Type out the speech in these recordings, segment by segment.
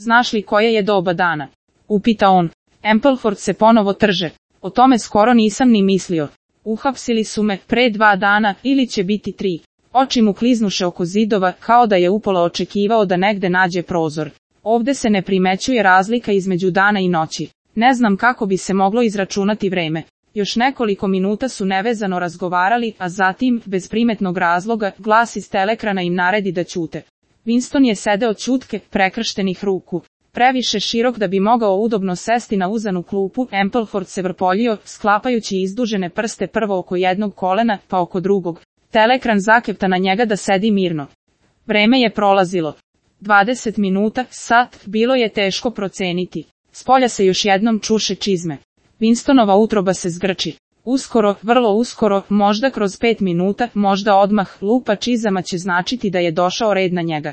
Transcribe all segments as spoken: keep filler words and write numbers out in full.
Znaš li koje je doba dana? Upita on. Ampleforth se ponovo trže. O tome skoro nisam ni mislio. Uhapsili su me pre dva dana ili će biti tri. Oči mu kliznuše oko zidova kao da je upola očekivao da negde nađe prozor. Ovde se ne primećuje razlika između dana i noći. Ne znam kako bi se moglo izračunati vreme. Još nekoliko minuta su nevezano razgovarali, a zatim, bez primetnog razloga, glas iz telekrana im naredi da ćute. Winston je sedeo ćutke, prekrštenih ruku. Previše širok da bi mogao udobno sesti na uzanu klupu, Ampleforth se vrpoljio, sklapajući izdužene prste prvo oko jednog kolena, pa oko drugog. Telekran zakepta na njega da sedi mirno. Vreme je prolazilo. dvadeset minuta, sat, bilo je teško proceniti. Spolja se još jednom čuše čizme. Winstonova utroba se zgrči. Uskoro, vrlo uskoro, možda kroz pet minuta, možda odmah, lupa čizama će značiti da je došao red na njega.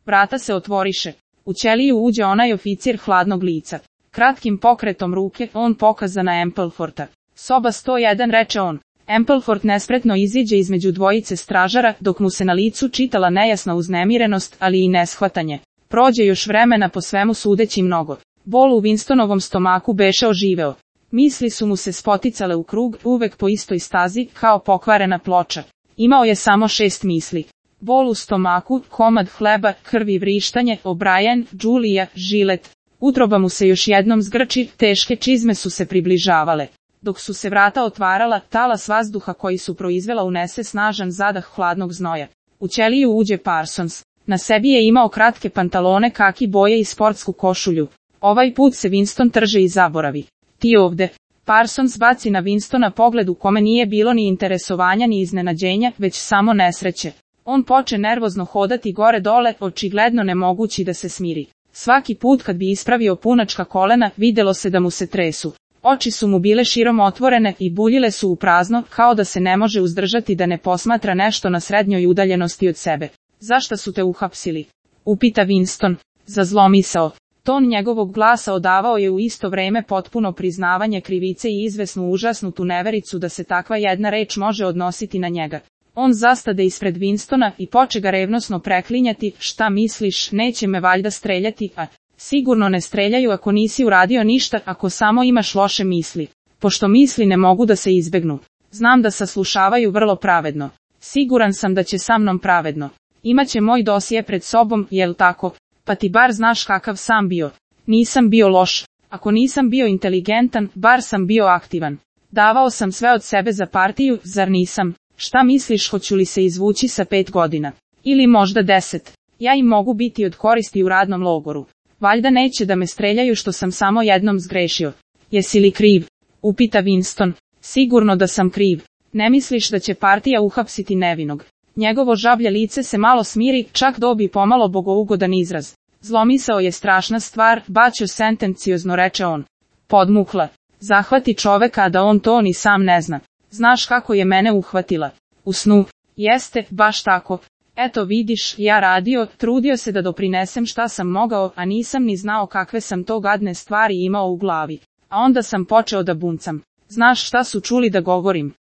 Vrata se otvoriše. U ćeliju uđe onaj oficir hladnog lica. Kratkim pokretom ruke, on pokaza na Amplefortha. Soba sto jedan, reče on. Ampleforth nespretno iziđe između dvojice stražara, dok mu se na licu čitala nejasna uznemirenost, ali i neshvatanje. Prođe još vremena, po svemu sudeći mnogo. Bol u Winstonovom stomaku beše oživeo. Misli su mu se spoticale u krug, uvek po istoj stazi, kao pokvarena ploča. Imao je samo šest misli. Bol u stomaku, komad hleba, krvi, vrištanje, O'Brien, Julia, žilet. Utroba mu se još jednom zgrči, teške čizme su se približavale. Dok su se vrata otvarala, talas vazduha koji su proizvela unese snažan zadah hladnog znoja. U ćeliju uđe Parsons. Na sebi je imao kratke pantalone kaki boje i sportsku košulju. Ovaj put se Winston trže i zaboravi. Ti ovde. Parsons baci na Winstona pogled u kome nije bilo ni interesovanja ni iznenađenja, već samo nesreće. On poče nervozno hodati gore dole, očigledno ne mogući da se smiri. Svaki put kad bi ispravio punačka kolena, videlo se da mu se tresu. Oči su mu bile širom otvorene i buljile su u prazno, kao da se ne može uzdržati da ne posmatra nešto na srednjoj udaljenosti od sebe. Zašto su te uhapsili? Upita Winston. Za zlomisao. Ton njegovog glasa odavao je u isto vreme potpuno priznavanje krivice i izvesnu užasnutu nevericu da se takva jedna reč može odnositi na njega. On zastade ispred Winstona i poče ga revnosno preklinjati. Šta misliš, neće me valjda streljati, a... Sigurno ne streljaju ako nisi uradio ništa, ako samo imaš loše misli. Pošto misli ne mogu da se izbegnu. Znam da saslušavaju vrlo pravedno. Siguran sam da će sa mnom pravedno. Imaće moj dosije pred sobom, jel tako? Pa ti bar znaš kakav sam bio. Nisam bio loš. Ako nisam bio inteligentan, bar sam bio aktivan. Davao sam sve od sebe za partiju, zar nisam? Šta misliš, hoću li se izvući sa pet godina? Ili možda deset? Ja im mogu biti od koristi u radnom logoru. Valjda neće da me streljaju što sam samo jednom zgrešio. Jesi li kriv? Upita Winston. Sigurno da sam kriv. Ne misliš da će partija uhapsiti nevinog? Njegovo žablje lice se malo smiri, čak dobi pomalo bogougodan izraz. Zlomisao je strašna stvar, bačo sentenciozno, reče on. Podmukla. Zahvati čoveka, a da on to ni sam ne zna. Znaš kako je mene uhvatila? U snu. Jeste, baš tako. Eto vidiš, ja radio, trudio se da doprinesem šta sam mogao, a nisam ni znao kakve sam to gadne stvari imao u glavi. A onda sam počeo da buncam. Znaš šta su čuli da govorim?